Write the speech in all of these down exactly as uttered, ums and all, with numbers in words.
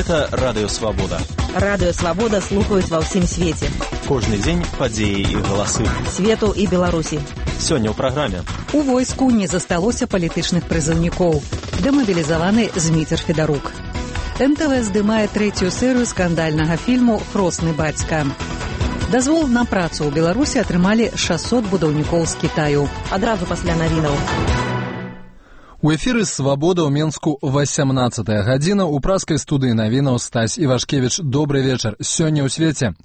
Гэта Радыё Свабода. Радыё Свабода слухаюць ва ўсім свеце. Кожны дзень падзеі і галасы. Свету і Беларусі. Сёння ў праграме. У войску не засталося палітычных прызыўнікоў. Дэмабілізаваны Зміцер Федарук. эм тэ вэ здымае трэцюю серыю скандальнага фільму «Хросны бацька». Дазвол на працу ў Беларусі атрымалі шэсцьсот будаўнікоў з Кітаю. Адразу пасля навінаў. У эфіры «Свабода» ў Менску васямнаццатая гадзіна. У праскай студыі навінаў Стась Івашкевіч. Добры вечар. Сёння ў свеце.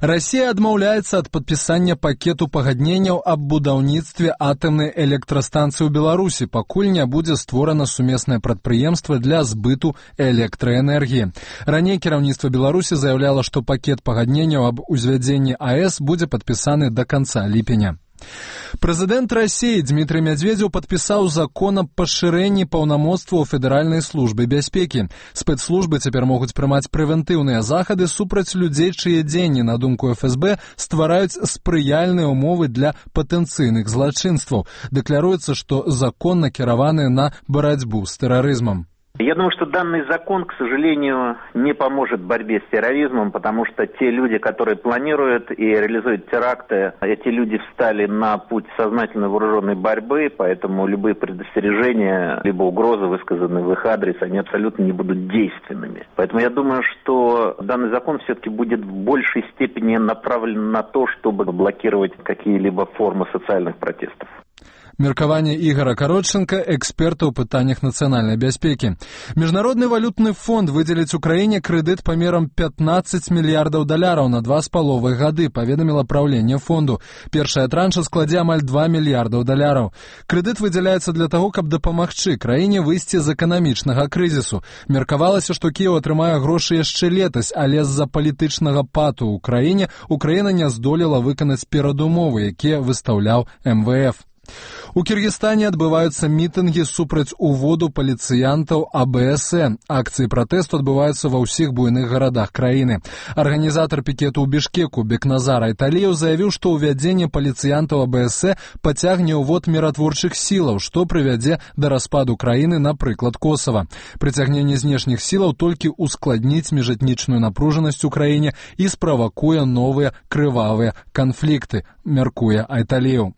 Расія адмаўляецца ад падпісання пакету пагадненняў аб будаўніцтве атамнай электрастанцыі ў Беларусі, пакуль не будзе створана сумеснае прадпрыемства для збыту электраэнергіі. Раней кіраўніцтва Беларусі заяўляла, што пакет пагадненняў аб узвядзенні АЭС будзе падпісаны да канца ліпеня. Прэзідэнт Расіі Дмітрый Мядзведзеў падпісаў закон аб пашырэнні паўнамоцтваў Федэральнай службы бяспекі. Спецслужбы цяпер могуць прымаць прэвентыўныя захады супраць людзей, чые дзеянні, на думку эф эс бэ, ствараюць спрыяльныя ўмовы для патэнцыйных злачынстваў. Дэкляруецца, што закон накіраваны на барацьбу з тэрарызмам. Я думаю, что данный закон, к сожалению, не поможет в борьбе с терроризмом, потому что те люди, которые планируют и реализуют теракты, эти люди встали на путь сознательной вооруженной борьбы, поэтому любые предостережения, либо угрозы, высказанные в их адрес, они абсолютно не будут действенными. Поэтому я думаю, что данный закон все-таки будет в большей степени направлен на то, чтобы блокировать какие-либо формы социальных протестов. Меркаванне Ігара Каротченка, эксперта ў пытаннях нацыянальнай бяспекі. Міжнародны валютны фонд выдзеліць Украіне крэдыт памерам пятнаццаць мільярдаў даляраў на два з паловай гады, паведаміла праўленне фонду. Першая транша складзе амаль два мільярдаў даляраў. Крэдыт выдзяляецца для таго, каб дапамагчы краіне выйсці з эканамічнага крызісу. Меркавалася, што Кіеў атрымае грошы яшчэ летась, але з-за палітычнага пату ў краіне Украіна не здолела выканаць перадумовы, якія выстаўляў эм вэ эф. У Кіргізстане адбываюцца мітынгі супраць уводу паліцыянтаў а бэ эс э. Акцыі пратэсту адбываюцца ва ўсіх буйных гарадах краіны. Арганізатар пікету ў Бішкеку Бекназар Айталіеў заявіў, што ўвядзенне паліцыянтаў а бэ эс э пацягне ўвод міратворчых сілаў, што прывядзе да распаду краіны, напрыклад, Косава. Прыцягненне знешніх сілаў толькі ускладніць міжэтнічную напружанасць у краіне і справакуе новыя крывавыя канфлікты, мяркуе Айталіеў.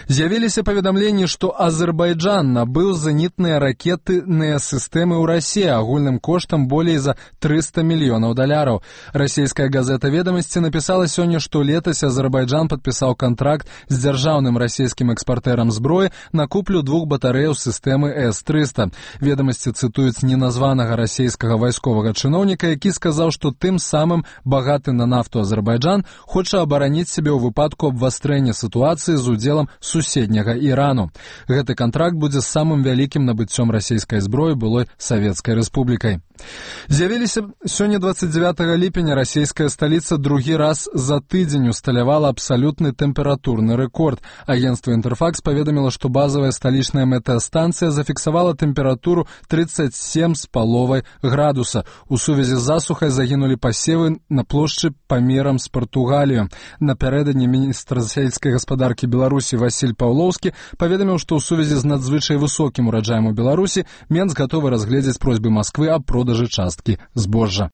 З'явіліся паведамленні, што Азербайджан набыў зенітныя ракетныя сістэмы ў Расіі агульным коштам болей за трыста мільёнаў даляраў. Расійская газета «Ведамасці» напісала сёння, што летась Азербайджан падпісаў кантракт з дзяржаўным расійскім экспартэрам зброі на куплю двух батарэяў сістэмы эс трыста. «Ведамасці» цытуюць неназванага расійскага вайсковага чыноўніка, які сказаў, што тым самым багаты на нафту Азербайджан хоча абараніць сябе ў выпадку абвастрэння сітуацыі з удзелам суседняга Ірану. Гэты кантракт будзе самым вялікім набыццём расійскай зброі былой Савецкай рэспублікай. З'явіліся сёння дваццаць дзевятага ліпеня расійская сталіца другі раз за тыдзень усталявала абсалютны тэмпературны рэкорд. Агенцтва «Інтэрфакс» паведаміла, што базавая сталічная метэастанцыя зафіксавала тэмпературу трыццаць сем з паловай градуса. У сувязі з засухай загінулі пасевы на плошчы памерам з Партугалію. Напярэдадні міністр сельскай гаспадаркі Беларусі Васіль Паўлоўскі паведаміў, што ў сувязі з надзвычай высокім ураджаем у Беларусі Менск гатовы разгледзець просьбы Масквы аб продажы часткі збожжа.